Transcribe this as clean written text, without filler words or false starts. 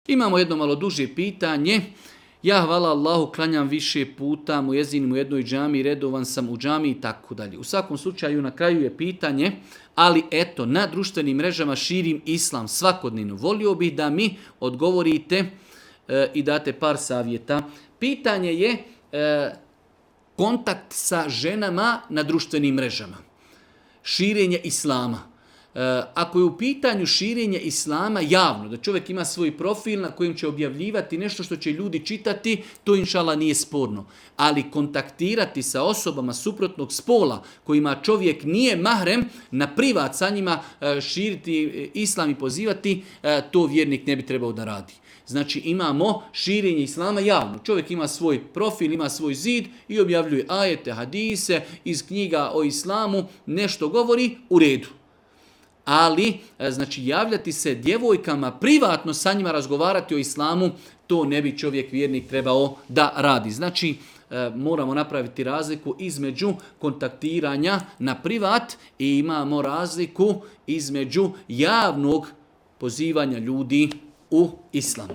Imamo jedno malo duže pitanje. Ja, hvala Allahu, klanjam više puta, muezin u jednoj džami, redovan sam u džami i tako dalje. U svakom slučaju na kraju je pitanje, ali eto, na društvenim mrežama širim islam svakodnevno. Volio bih da mi odgovorite i date par savjeta. Pitanje je kontakt sa ženama na društvenim mrežama. Širenje islama. Ako je u pitanju širenje islama javno, da čovjek ima svoj profil na kojem će objavljivati nešto što će ljudi čitati, to inšala nije sporno. Ali kontaktirati sa osobama suprotnog spola kojima čovjek nije mahrem, na privat sa njima širiti islam i pozivati, to vjernik ne bi trebao da radi. Znači imamo širenje islama javno. Čovjek ima svoj profil, ima svoj zid i objavljuje ajete, hadise iz knjiga o islamu, nešto govori, u redu. Ali, znači, javljati se djevojkama, privatno sa njima razgovarati o islamu, to ne bi čovjek vjernik trebao da radi. Znači, moramo napraviti razliku između kontaktiranja na privat i imamo razliku između javnog pozivanja ljudi u islam.